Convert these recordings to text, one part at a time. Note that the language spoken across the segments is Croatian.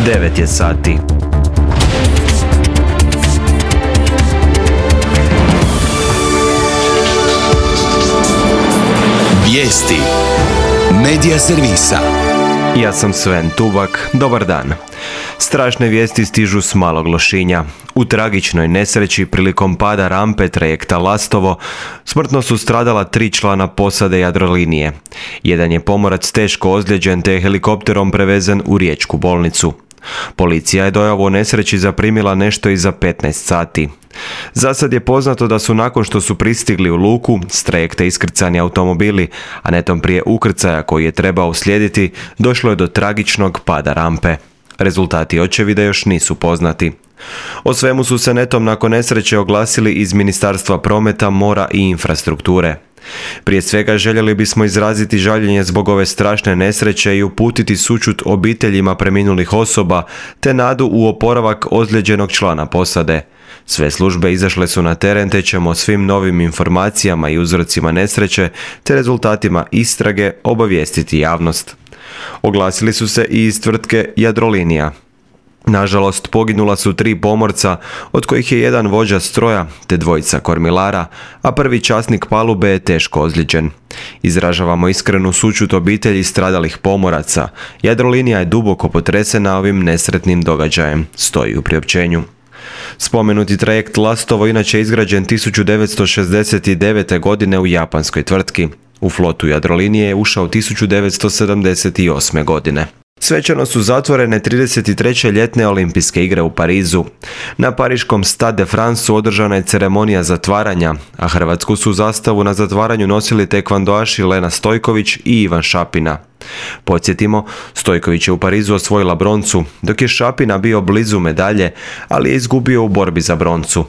9 je sati. Vijesti Medija servisa. Ja sam Sven Tuvak, dobar dan. Strašne vijesti stižu s Malog Lošinja. U tragičnoj nesreći prilikom pada rampe trajekta Lastovo smrtno su stradala 3 člana posade Jadrolinije. Jedan je pomorac teško ozlijeđen te je helikopterom prevezen u riječku bolnicu. Policija je dojavu o nesreći zaprimila nešto iza 15 sati. Zasad je poznato da su nakon što su pristigli u luku s trajekta iskrcani automobili, a netom prije ukrcaja koji je trebao uslijediti, došlo je do tragičnog pada rampe. Rezultati očevida još nisu poznati. O svemu su se netom nakon nesreće oglasili iz Ministarstva prometa, mora i infrastrukture. Prije svega željeli bismo izraziti žaljenje zbog ove strašne nesreće i uputiti sućut obiteljima preminulih osoba te nadu u oporavak ozlijeđenog člana posade. Sve službe izašle su na teren te ćemo svim novim informacijama i uzrocima nesreće te rezultatima istrage obavijestiti javnost. Oglasili su se i iz tvrtke Jadrolinija. Nažalost, poginula su 3 pomorca, od kojih je jedan vođa stroja te 2 kormilara, a prvi časnik palube je teško ozlijeđen. Izražavamo iskrenu sućut obitelji stradalih pomoraca. Jadrolinija je duboko potresena ovim nesretnim događajem, stoji u priopćenju. Spomenuti trajekt Lastovo inače izgrađen 1969. godine u japanskoj tvrtki. U flotu Jadrolinije je ušao 1978. godine. Svečano su zatvorene 33. ljetne olimpijske igre u Parizu. Na pariškom Stade de France održana je ceremonija zatvaranja, a hrvatsku su zastavu na zatvaranju nosili tekvandoaši Lena Stojković i Ivan Šapina. Podsjetimo, Stojković je u Parizu osvojila broncu, dok je Šapina bio blizu medalje, ali je izgubio u borbi za broncu.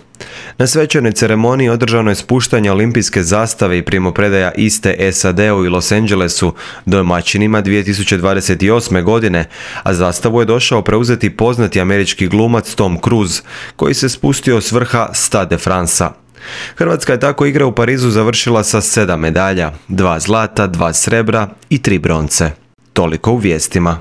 Na svečanoj ceremoniji održano je spuštanje olimpijske zastave i primopredaja iste SAD-u i Los Angelesu domaćinima 2028. godine, a zastavu je došao preuzeti poznati američki glumac Tom Cruise, koji se spustio s vrha Stade de France-a. Hrvatska je tako igre u Parizu završila sa 7 medalja, 2 zlata, 2 srebra i 3 bronce. Toliko u vijestima.